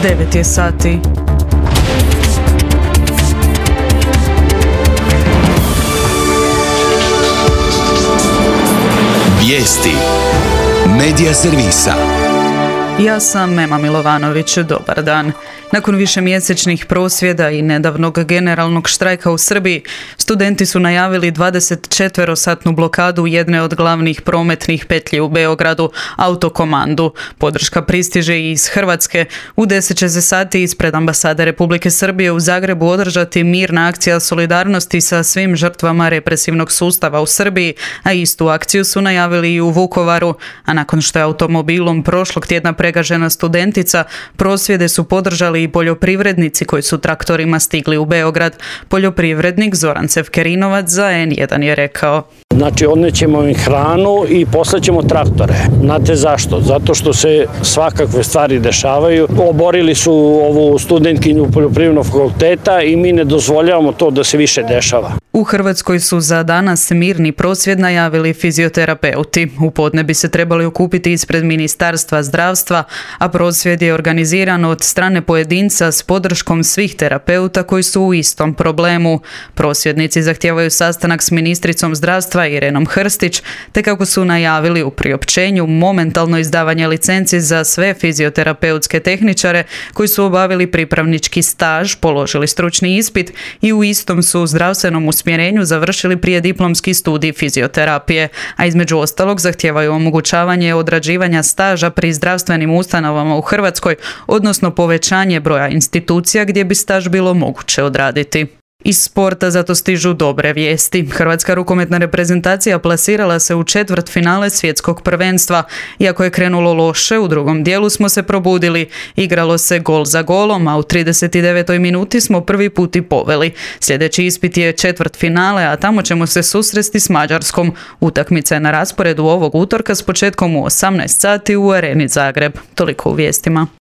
9 je sati. Vijesti Medija servisa. Ja sam Mema Milovanović, dobar dan. Nakon višemjesečnih prosvjeda i nedavnog generalnog štrajka u Srbiji, studenti su najavili 24-satnu blokadu jedne od glavnih prometnih petlji u Beogradu, Autokomandu. Podrška pristiže i iz Hrvatske. U 10 će se sati ispred ambasade Republike Srbije u Zagrebu održati mirna akcija solidarnosti sa svim žrtvama represivnog sustava u Srbiji, a istu akciju su najavili i u Vukovaru. A nakon što je automobilom prošlog tjedna pregažena studentica, prosvjede su podržali i poljoprivrednici koji su traktorima stigli u Beograd. Poljoprivrednik Zoran Cevkerinovac za N1 je rekao: Znači, odnećemo im hranu i poslaćemo traktore. Znate zašto? Zato što se svakakve stvari dešavaju. Oborili su ovu studentkinju poljoprivrednog fakulteta i mi ne dozvoljavamo to da se više dešava. U Hrvatskoj su za danas mirni prosvjed najavili fizioterapeuti. U podne bi se trebali okupiti ispred Ministarstva zdravstva, a prosvjed je organiziran od strane pojedinca s podrškom svih terapeuta koji su u istom problemu. Prosvjednici zahtijevaju sastanak s ministricom zdravstva Irenom Hrstić, te kako su najavili u priopćenju momentalno izdavanje licenci za sve fizioterapeutske tehničare koji su obavili pripravnički staž, položili stručni ispit i u istom su zdravstvenom usmjerenju završili prijediplomski studij fizioterapije, a između ostalog zahtijevaju omogućavanje odrađivanja staža pri zdravstvenim ustanovama u Hrvatskoj, odnosno povećanje broja institucija gdje bi staž bilo moguće odraditi. Iz sporta zato stižu dobre vijesti. Hrvatska rukometna reprezentacija plasirala se u četvrtfinale svjetskog prvenstva. Iako je krenulo loše, u drugom dijelu smo se probudili. Igralo se gol za golom, a u 39. minuti smo prvi put i poveli. Sljedeći ispit je četvrtfinale, a tamo ćemo se susresti s Mađarskom. Utakmica je na rasporedu ovog utorka s početkom u 18 sati u Areni Zagreb. Toliko u vijestima.